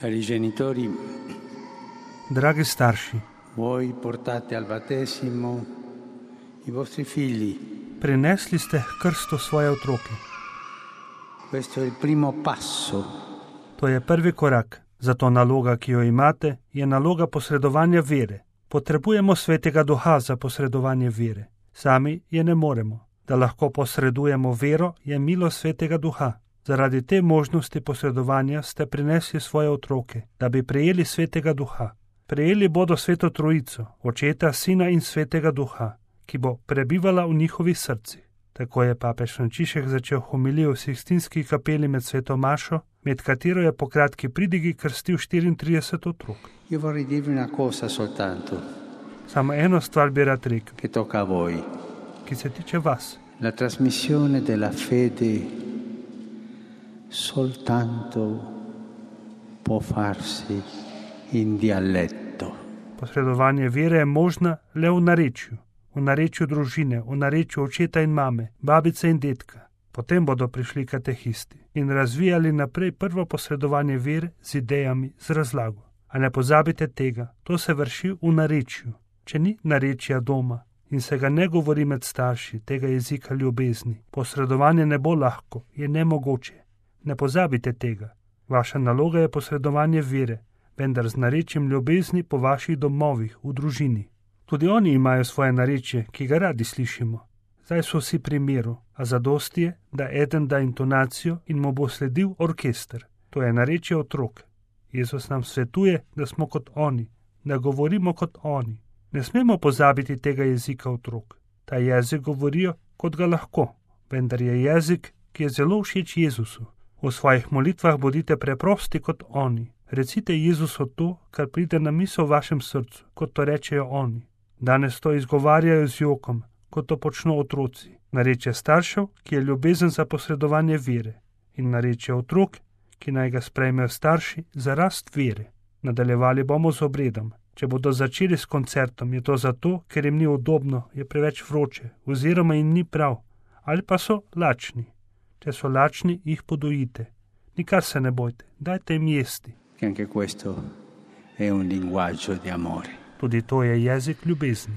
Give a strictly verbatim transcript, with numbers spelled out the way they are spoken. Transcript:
Cari genitori, Dragi starši, voi portate al battesimo i vostri figli. prinesli ste k krstu svoje otroke. Questo è il primo passo. To je prvi korak. Zato naloga, ki jo imate, je naloga posredovanja vere. Potrebujemo svetega duha za posredovanje vere. Sami je ne moremo. Da lahko posredujemo vero, je milost svetega duha. Zaradi te možnosti posredovanja ste prinesli svoje otroke, da bi prejeli svetega duha. Prejeli bodo sveto trojico, očeta, sina in svetega duha, ki bo prebivala v njihovih srcih. Tako je papež Frančišek začel homilijo v Sikstinski kapeli med sveto mašo, med katero je po kratki pridigi krstil štiriintrideset otrok. Io vorrei dirvi una cosa soltanto, Samo eno stvar bi rad rekel, che tocca a voi. ki se tiče vas. La trasmissione della fede soltanto può farsi in dialetto. Posredovanje vere je možna le v narečju, v narečju družine, v narečju očeta in mame, babice in dedka. Potem bodo prišli katehisti in razvijali naprej prvo posredovanje vere z idejami, z razlago. A ne pozabite tega, to se vrši v narečju. Če ni narečja doma in se ga ne govori med starši, tega jezika ljubezni, posredovanje ne bo lahko, je nemogoče. Ne pozabite tega. Vaša naloga je posredovanje vere, vendar z narečjem ljubezni po vaših domovih, v družini. Tudi oni imajo svoje narečje, ki ga radi slišimo. Zdaj so vsi pri miru, a zadosti je, da eden da intonacijo in mu bo sledil orkester. To je narečje otrok. Jezus nam svetuje, da smo kot oni, da govorimo kot oni. Ne smemo pozabiti tega jezika otrok. Ta jezik govorijo, kot ga lahko, vendar je jezik, ki je zelo všeč Jezusu. V svojih molitvah bodite preprosti kot oni. Recite Jezusu to, kar pride na misel v vašem srcu, kot to rečejo oni. Danes to izgovarjajo z jokom, kot to počno otroci. Narečje staršev, ki je ljubezen za posredovanje vere, in narečje otrok, ki naj ga sprejmejo starši za rast vere. Nadaljevali bomo z obredom. Če bodo začeli s koncertom, je to zato, ker jim ni udobno, je preveč vroče, oziroma jim ni prav, ali pa so lačni. Če so lačni, jih podojite. Nikar se ne bojte, dajte jim jesti. Che anche questo è un linguaggio di amore. Tudi to je jezik ljubezni.